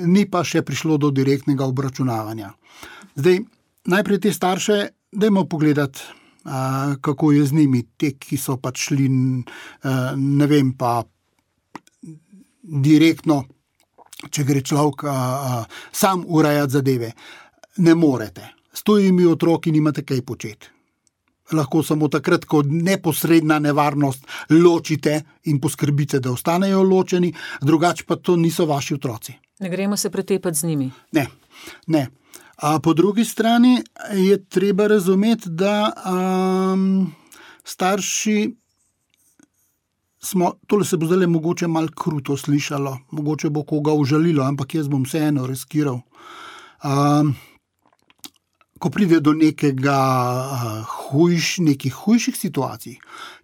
ni pa še prišlo do direktnega obračunavanja. Zdaj, najprej te starše, dajmo pogledati, a, kako je z njimi, te, ki so pač šli, a, ne vem, pa direktno, če gre človek a, a, sam urejati zadeve. Ne morete. S tujimi otroki nimate kaj početi. Lahko samo takrat, ko neposredna nevarnost ločite in poskrbite, da ostanejo ločeni, drugače pa to niso vaši otroci. Ne gremo se pretepati z njimi. Ne, ne. A po drugi strani je treba razumeti, da um, starši smo, tole se bo zdaj mogoče malo kruto slišalo, mogoče bo koga užalilo, ampak jaz bom vseeno riskiral. Um, Ko pride do nekega hujš, nekih hujših situacij,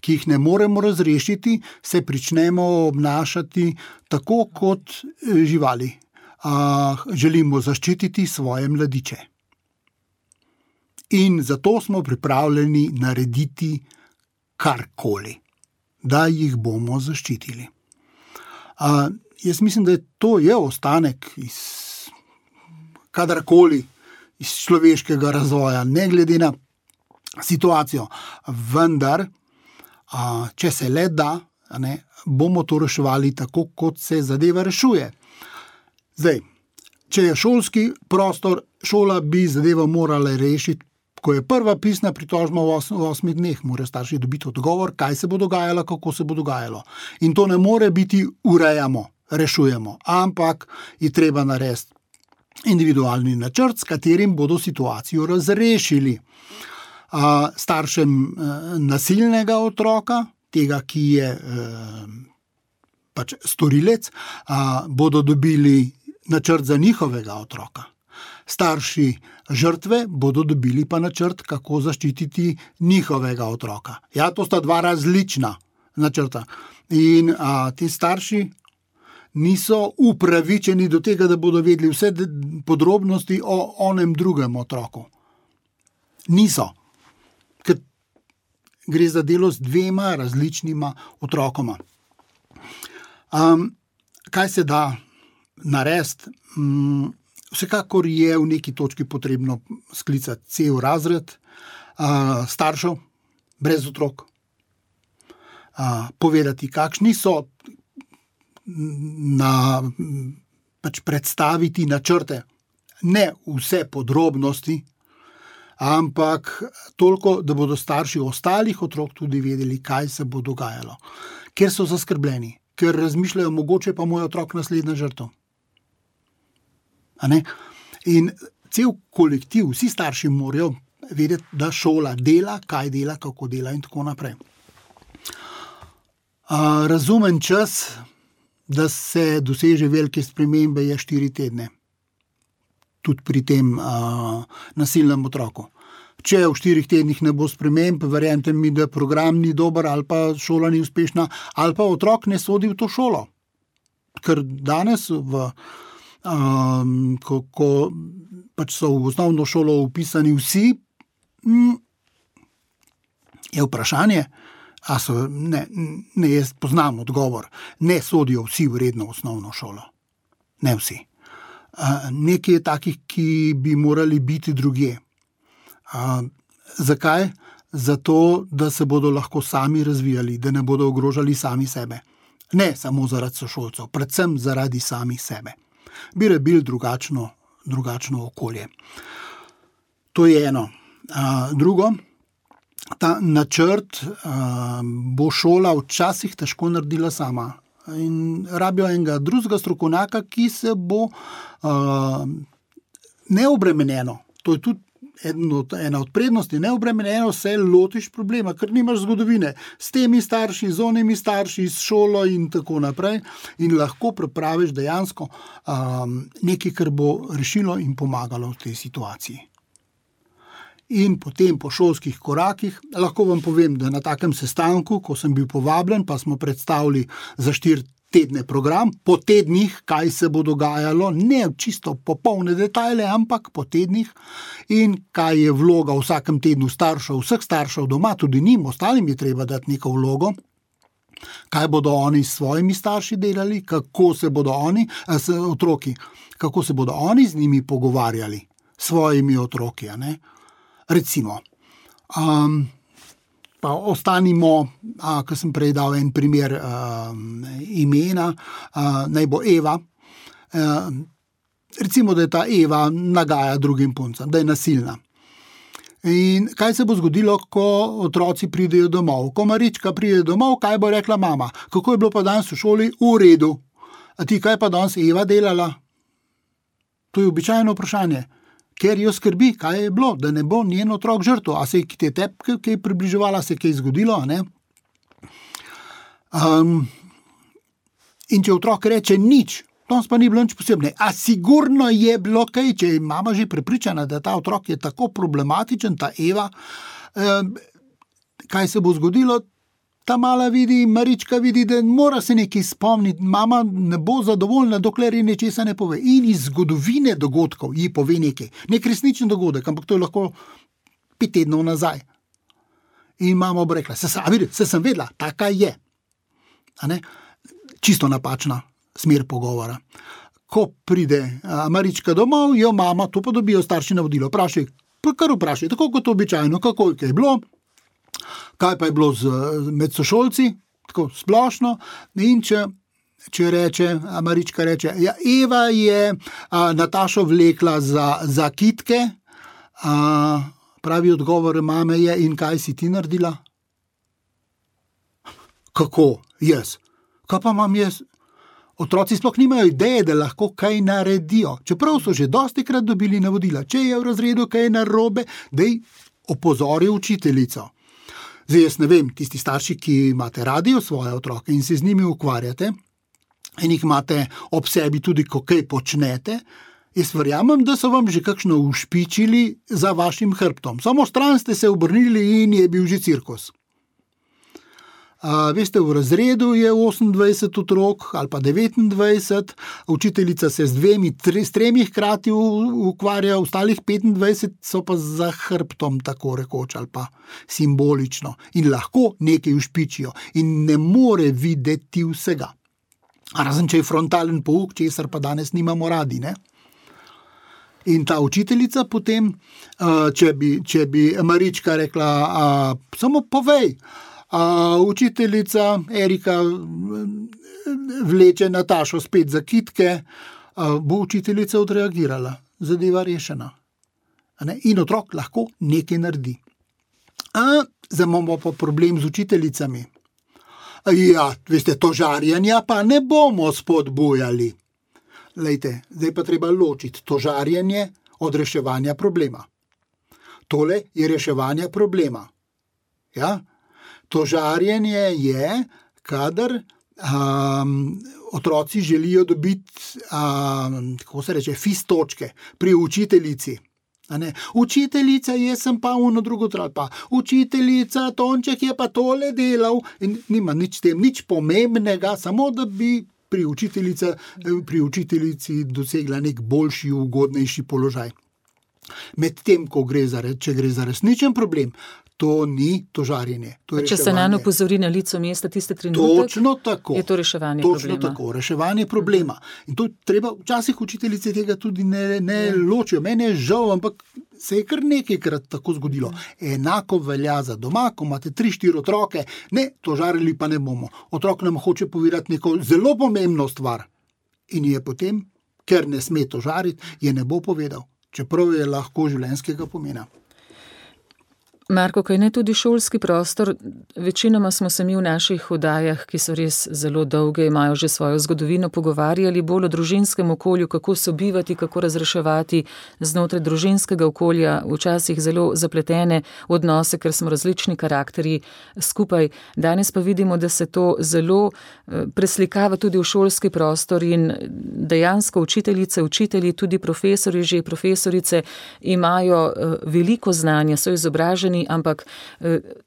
ki jih ne moremo razrešiti, se pričnemo obnašati tako kot živali. Želimo zaščititi svoje mladiče. In zato smo pripravljeni narediti karkoli, da jih bomo zaščitili. jaz mislim, da je to je ostanek iz kadarkoli iz človeškega razvoja, ne glede na situacijo. Vendar, a, če se le da, a ne, bomo to reševali tako, kot se zadeva rešuje. Zdaj, če je šolski prostor, šola bi zadevo morala rešiti, ko je prva pisna pritožba v, os, v osmih dneh, mora starši dobiti odgovor, kaj se bo dogajalo, kako se bo dogajalo. In to ne more biti urejamo, rešujemo, ampak je treba narediti individualni načrt, s katerim bodo situacijo razrešili. A, staršem a, nasilnega otroka, tega, ki je a, pač storilec, a, bodo dobili načrt za njihovega otroka. Starši žrtve bodo dobili pa načrt, kako zaščititi njihovega otroka. Ja, to sta dva različna načrta. In a, ti starši niso upravičeni do tega, da bodo vedeli vse podrobnosti o onem drugem otroku. Niso. Ker gre za delo z dvema različnima otrokoma. Um, kaj se da narediti? Um, vsekakor je v neki točki potrebno sklicati cel razred uh, staršev brez otrok. Uh, povedati, kakšni so, na, pač predstaviti načrte. Ne vse podrobnosti, ampak toliko, da bodo starši ostalih otrok tudi vedeli, kaj se bo dogajalo. Ker so zaskrbljeni, ker razmišljajo, mogoče pa moj otrok naslednja žrtev. A ne? In cel kolektiv, vsi starši morajo vedeti, da šola dela, kaj dela, kako dela in tako naprej. Uh, razumen čas, da se doseže velike spremembe, je štiri tedne. Tudi pri tem uh, nasilnem otroku. Če v štirih tednih ne bo sprememb, verjemite mi, da program ni dober, ali pa šola ni uspešna, ali pa otrok ne sodi v to šolo. Ker danes, v, um, ko, ko pač so v osnovno šolo upisani vsi, mm, je vprašanje, a so, ne, ne, jaz poznam odgovor, ne sodijo vsi vredno v osnovno šolo. Ne vsi. Uh, nekaj je takih, ki bi morali biti drugje. Uh, zakaj? Zato, da se bodo lahko sami razvijali, da ne bodo ogrožali sami sebe. Ne samo zaradi sošolcev, predvsem zaradi samih sebe. Bi rabili drugačno, drugačno okolje. To je eno. Uh, drugo, ta načrt uh, bo šola včasih težko naredila sama. In rabijo enega drugega strokovnjaka, ki se bo uh, neobremenjeno, to je tudi od, ena od prednosti, neobremenjeno se lotiš problema, ker nimaš zgodovine s temi starši, z onimi starši, s šolo in tako naprej in lahko pripraviš dejansko um, nekaj, kar bo rešilo in pomagalo v tej situaciji. In potem po šolskih korakih, lahko vam povem, da na takem sestanku, ko sem bil povabljen, pa smo predstavili za štiri tedne program, po tednih, kaj se bo dogajalo, ne čisto popolne detajle, ampak po tednih in kaj je vloga v vsakem tednu staršev, vseh staršev doma, tudi njim, ostalim je treba dati neko vlogo, kaj bodo oni s svojimi starši delali, kako se bodo oni, s otroki, kako se bodo oni z njimi pogovarjali, s svojimi otroki, a ne? Recimo, um, pa ostanimo, a, ko sem prej dal en primer um, imena, a, naj bo Eva. A, recimo, da je ta Eva nagaja drugim puncem, da je nasilna. In kaj se bo zgodilo, ko otroci pridejo domov? Ko Marička pride domov, kaj bo rekla mama? Kako je bilo pa danes v šoli? V redu. A ti kaj pa danes Eva delala? To je običajno vprašanje. Ker jo skrbi, kaj je bilo, da ne bo njen otrok žrtev. A se je te tep, kaj približevala, se je kaj zgodilo, a ne? Um, in če otrok reče nič, danes pa ni bilo nič posebne. A sigurno je bilo kaj, če je mama že prepričana, da ta otrok je tako problematičen, ta Eva, um, kaj se bo zgodilo? Ta mala vidi, Marička vidi, da mora se nekaj spomniti, mama ne bo zadovoljna, dokler ji nečesa ne pove. In iz zgodovine dogodkov ji pove nekaj. Nek resničen dogodek, ampak to je lahko pet tednov nazaj. In mama bo rekla, se, se sem vedela, taka je. A ne? Čisto napačna smer pogovora. Ko pride Marička domov, jo mama, to pa dobijo starši navodilo. Vprašaj, kar vprašaj, tako kot običajno, kako je bilo, kaj pa je bilo z, med sošolci, tako splošno, in če, če reče, Marička reče, ja, Eva je a, Natašo vlekla za, za kitke, a, pravi odgovor mame je, in kaj si ti naredila? Kako? Jaz. Kaj pa imam jaz? Otroci sploh nimajo ideje, da lahko kaj naredijo. Čeprav so že dostikrat dobili navodila, če je v razredu kaj narobe, daj opozori učiteljico. Zdaj jaz ne vem, tisti starši, ki imate radi svoje otroke in se z njimi ukvarjate in jih imate ob sebi tudi, ko kaj počnete, jaz verjamem, da so vam že kakšno ušpičili za vašim hrbtom. Samo stran ste se obrnili in je bil že cirkus. Uh, veste, v razredu je osemindvajset otrok ali pa devetindvajset, učiteljica se z dvemi, tre, s tremi hkrati ukvarja, ostalih petindvajset so pa za hrbtom, tako rekoč, ali pa simbolično. In lahko nekaj ušpičijo in ne more videti vsega. Razen, če je frontalen pouk, česar pa danes nimamo radi, ne? In ta učiteljica potem, uh, če bi, če bi Marička rekla, uh, samo povej, Uh, učiteljica Erika vleče Natašo spet za kitke, uh, bo učiteljica odreagirala, zadeva rešena. Ne? In otrok lahko nekaj naredi. Uh, zdaj imamo pa problem z učiteljicami. Uh, ja, veste, to žarjenja pa ne bomo spodbujali. Lejte, zdaj pa treba ločiti to žarjenje od reševanja problema. Tole je reševanje problema. Ja? To žarjenje je, kadar um, otroci želijo dobiti, um, kako se reče, fis točke pri učiteljici. A ne? Učiteljica, jaz sem pa ono drugo tral, pa učiteljica, Tonček je pa tole delal in nima nič tem, nič pomembnega, samo da bi pri, pri učiteljici dosegla nek boljši, ugodnejši položaj. Medtem, ko gre za, če gre za resničen problem, to ni to žarjenje. To Če se nanj opozori na lico mesta tiste trenutek, točno tako, je to reševanje točno problema. Točno tako, reševanje problema. In to treba, včasih učiteljice tega tudi ne, ne ja. ločijo. Mene je žal, ampak se je kar nekajkrat tako zgodilo. Enako velja za doma, ko imate tri, štiri otroke, ne, to žarili pa ne bomo. Otrok nam hoče povedati neko zelo pomembno stvar. In je potem, ker ne sme to žariti, je ne bo povedal. Čeprav je lahko življenjskega pomena. Marko, kaj ne tudi šolski prostor, večinoma smo se mi v naših oddajah, ki so res zelo dolge, imajo že svojo zgodovino, pogovarjali bolj o družinskem okolju, kako sobivati, kako razreševati znotraj družinskega okolja, včasih zelo zapletene odnose, ker smo različni karakterji skupaj. Danes pa vidimo, da se to zelo preslikava tudi v šolski prostor in dejansko učiteljice, učitelji, tudi profesori, že profesorice imajo veliko znanja, so izobraženi, ampak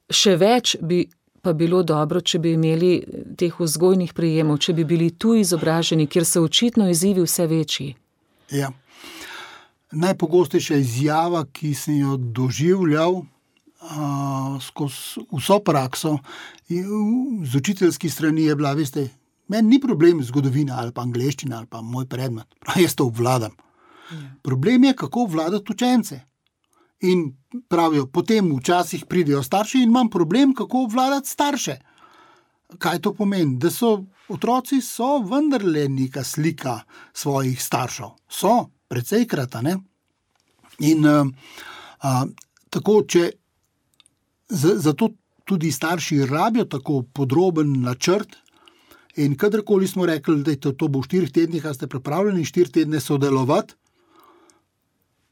še več bi pa bilo dobro, če bi imeli teh vzgojnih prijemov, če bi bili tu izobraženi, kjer so očitno izzivi vse večji. Ja. Najpogostejša izjava, ki sem jo doživljal uh, skozi vso prakso, z učiteljski strani je bila, veste, meni ni problem zgodovina ali pa angleščina ali pa moj predmet, jaz to obvladam. Ja. Problem je, kako obvladati učence. In pravijo, potem včasih pridejo starši in imam problem, kako obvladati starše. Kaj to pomeni? Da so otroci so vendarle neka slika svojih staršev. So, precejkrat, ne? In a, a, tako, če z, zato tudi starši rabijo tako podroben načrt in kadarkoli smo rekli, da to, to bo v štirih tednih, a ste pripravljeni štiri tedne sodelovati?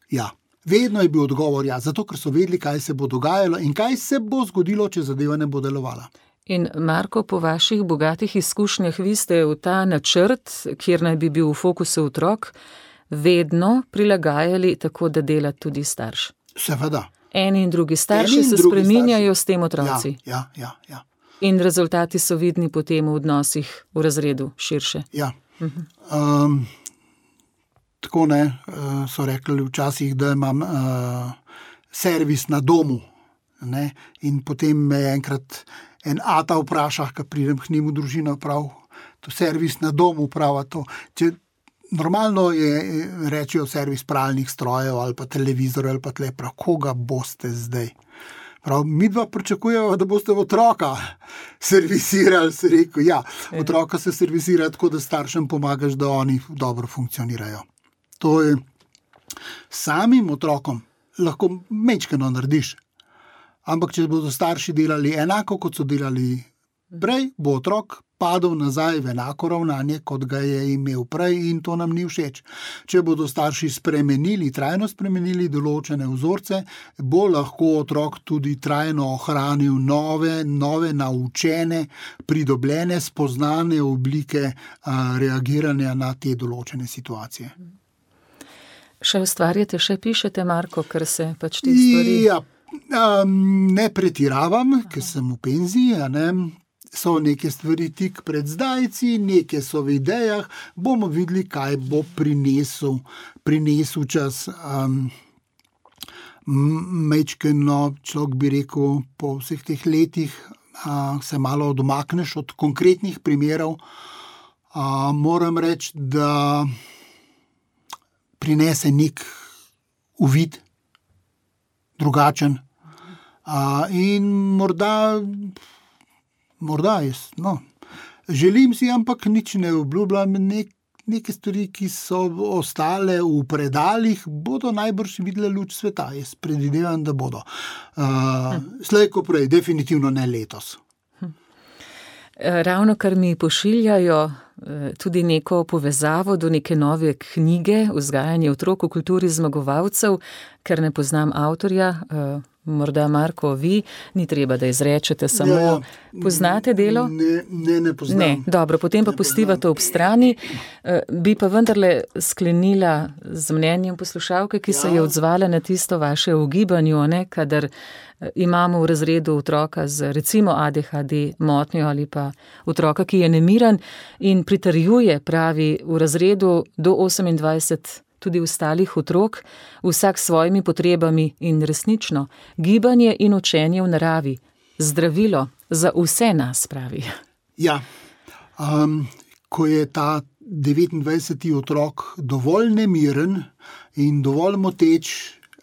Ja. Vedno je bil odgovor ja, zato ker so vedeli, kaj se bo dogajalo in kaj se bo zgodilo, če zadeva ne bo delovala. In Marko, po vaših bogatih izkušnjah, vi ste v ta načrt, kjer naj bi bil v fokusu otrok, vedno prilagajali tako, da dela tudi starš. Seveda. Eni in drugi starši in se drugi spreminjajo starši. S tem otroci. Ja, ja, ja, ja. In rezultati so vidni potem v odnosih v razredu širše. Ja. Uh-huh. Um, Tako ne, so rekli včasih, da imam uh, servis na domu. Ne? In potem me enkrat en ata vpraša, ko pridem k njim v družino, prav, servis na domu uprava to. Če normalno je, rečejo servis pralnih strojev ali pa televizor ali pa tle, prav, koga boste zdaj? Prav, mi dva pričakujemo, da boste otroka servisirali, se rekel, ja, otroka se servisira tako, da staršem pomagaš, da oni dobro funkcionirajo. To je samim otrokom lahko mečkeno narediš, ampak če bodo starši delali enako, kot so delali prej, bo otrok padel nazaj v enako ravnanje, kot ga je imel prej in to nam ni všeč. Če bodo starši spremenili, trajno spremenili določene vzorce, bo lahko otrok tudi trajno ohranil nove, nove naučene, pridobljene, spoznane oblike a, reagiranja na te določene situacije. Še ustvarjate, še pišete, Marko, ker se pač te stvari... Ja, um, ne pretiravam, ker sem v penziji, a ne... So neke stvari tik pred zdajci, neke so v idejah, bomo videli, kaj bo prinesel, prinesel čas. Um, Mečkeno, človek bi rekel, po vseh teh letih uh, se malo odomakneš od konkretnih primerov. Uh, moram reči, da prinese nek uvid, drugačen. Uh, in morda... Morda jaz, no. Želim si, ampak nič ne obljubljam, nek, neke stvari, ki so ostale v predalih, bodo najbrž videle luč sveta. Jaz predvidevam, da bodo. Uh, slej ko prej, definitivno ne letos. Ravno kar mi pošiljajo tudi neko povezavo do neke nove knjige, Vzgajanje otrok v kulturi zmagovalcev, ker ne poznam avtorja, morda Marko, vi, ni treba, da izrečete samo, ja, ja. Poznate delo? Ne, ne, ne poznam. Ne, dobro, potem pa pustivate ob strani. Bi pa vendarle sklenila z mnenjem poslušalke, ki ja. se je odzvala na tisto vaše ugibanju, ne, kadar imamo v razredu otroka z recimo A D H D motnjo ali pa otroka, ki je nemiren in pritrjuje, pravi, v razredu do osemindvajset tudi ostalih otrok, vsak s svojimi potrebami in resnično gibanje in učenje v naravi, zdravilo za vse nas, pravi. Ja, um, ko je ta devetindvajseti otrok dovolj nemiren in dovolj moteč,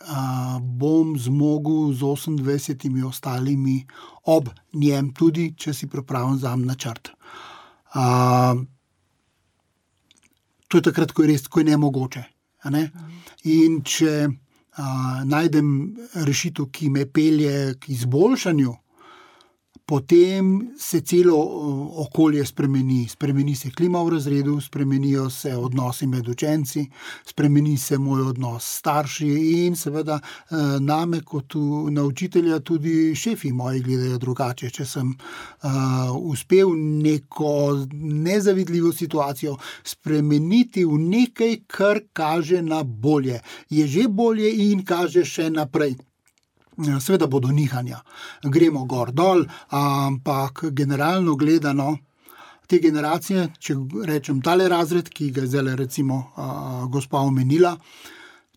uh, bom zmogel z osemindvajsetimi ostalimi ob njem, tudi če si pripravim zam načrt. Uh, to je takrat, ko je res, ko je nemogoče. Ne? In če a, najdem rešitev, ki me pelje k izboljšanju, potem se celo okolje spremeni. Spremeni se klima v razredu, spremenijo se odnosi med učenci, spremeni se moj odnos s starši in seveda name kot na učitelja tudi šefi moji gledajo drugače. Če sem uh, uspel neko nezavidljivo situacijo spremeniti v nekaj, kar kaže na bolje. Je že bolje in kaže še naprej. Seveda bodo nihanja, gremo gor dol, ampak generalno gledano, te generacije, če rečem tale razred, ki ga je zdaj recimo a, gospa omenila,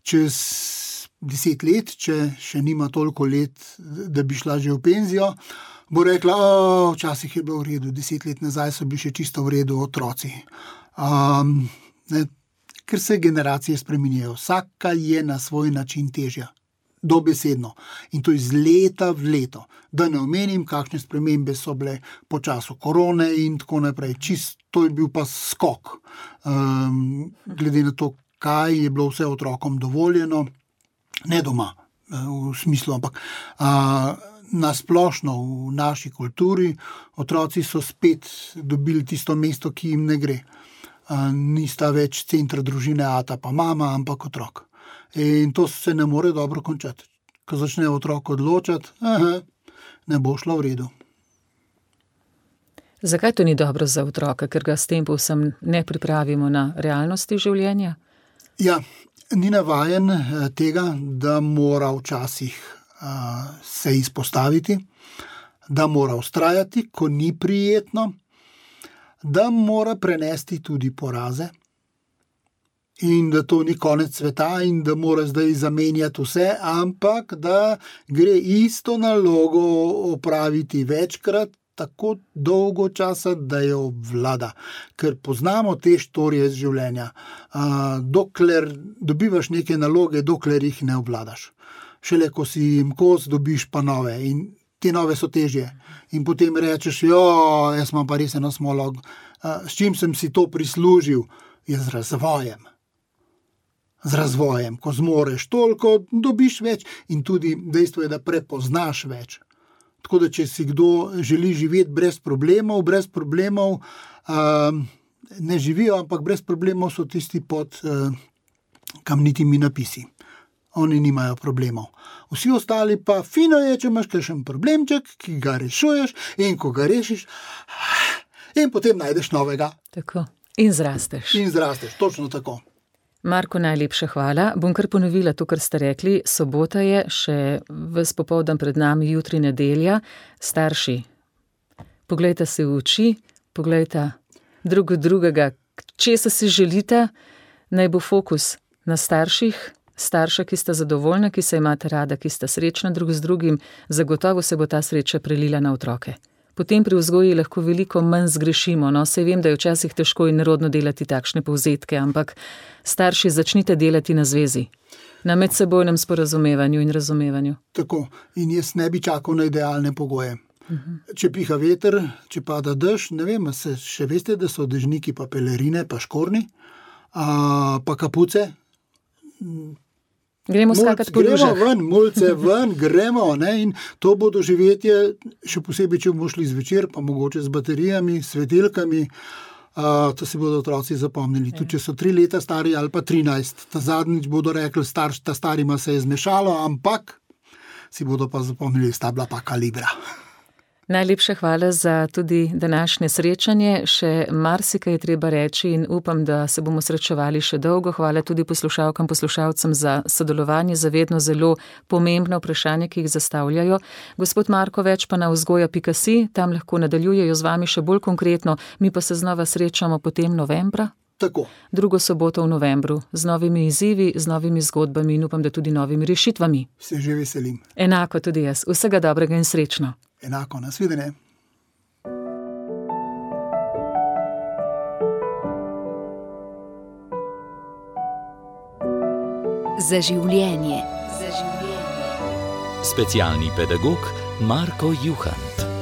čez deset let, če še nima toliko let, da bi šla že v penzijo, bo rekla, včasih je bilo v redu, deset let nazaj so bili še čisto v redu otroci. Um, ne, ker se generacije spreminjajo, vsaka je na svoj način težja. Dobesedno. In to iz leta v leto. Da ne omenim, kakšne spremembe so bile po času korone in tako naprej. Čist, to je bil pa skok. Um, glede na to, kaj je bilo vse otrokom dovoljeno, ne doma v smislu, ampak uh, nasplošno v naši kulturi otroci so spet dobili tisto mesto, ki jim ne gre. Uh, nista več centra družine ata pa mama, ampak otrok. In to se ne more dobro končati. Ko začne otrok odločati, aha, ne bo šlo v redu. Zakaj to ni dobro za otroka, ker ga s tem povsem ne pripravimo na realnosti življenja? Ja, ni navajen tega, da mora včasih uh, se izpostaviti, da mora vztrajati, ko ni prijetno, da mora prenesti tudi poraze, in da to ni konec sveta in da mora zdaj zamenjati vse, ampak da gre isto nalogo opraviti večkrat, tako dolgo časa, da jo obvlada, ker poznamo te štorije iz življenja. Uh, dokler dobivaš neke naloge, dokler jih ne obvladaš. Šele ko si jim kos, dobiš pa nove in te nove so težje. In potem rečeš, jo, jaz imam pa res eno smolo, uh, s čim sem si to prislužil, je z razvojem. Z razvojem, ko zmoreš toliko, dobiš več in tudi dejstvo je, da prepoznaš več. Tako da, če si kdo želi živeti brez problemov, brez problemov uh, ne živijo, ampak brez problemov so tisti pod uh, kamnitimi napisi. Oni nimajo problemov. Vsi ostali pa fino je, če imaš kakšen problemček, ki ga rešuješ in ko ga rešiš, in potem najdeš novega. Tako. In zrasteš. In zrasteš, točno tako. Marko, najlepša hvala. Bom kar ponovila to, kar ste rekli. Sobota je, še ves popoldan pred nami, jutri nedelja. Starši, poglejte se v oči, poglejte drug drugega, česa si želite, naj bo fokus na starših, starša, ki sta zadovoljna, ki se imate rada, ki sta srečna drug z drugim, zagotovo se bo ta sreča prelila na otroke. Potem pri vzgoji lahko veliko manj zgrešimo, no, saj vem, da je včasih težko in nerodno delati takšne povzetke, ampak starši, začnite delati na zvezi, na medsebojnem sporazumevanju in razumevanju. Tako, in jaz ne bi čakal na idealne pogoje. Uh-huh. Če piha veter, če pada dež, ne vem, se še veste, da so dežniki pa pelerine, pa škorni, a, pa kapuce. Gremo skakati po lužah. Gremo ven, mulce ven, gremo, ne, in to bo doživetje, še posebej, če bomo šli zvečer, pa mogoče z baterijami, svetilkami, uh, to si bodo otroci zapomnili. Tudi če so tri leta stari ali pa trinajst, ta zadnjič bodo rekli, starš, ta starima se je zmešalo, ampak si bodo pa zapomnili, sta bila pa kalibra. Najlepša hvala za tudi današnje srečanje. Še marsikaj je treba reči in upam, da se bomo srečevali še dolgo. Hvala tudi poslušalkam, poslušalcem za sodelovanje, za vedno zelo pomembna vprašanja, ki jih zastavljajo. Gospod Marko, več pa na vzgoja pika si, tam lahko nadaljujejo z vami še bolj konkretno, mi pa se znova srečamo potem novembra. Tako. Drugo soboto v novembru, z novimi izzivi, z novimi zgodbami in upam, da tudi novimi rešitvami. Se že veselim. Enako tudi jaz. Vsega dobrega in srečno. Enako, nasvidenje. Za življenje. Za življenje. Specialni pedagog Marko Juhant.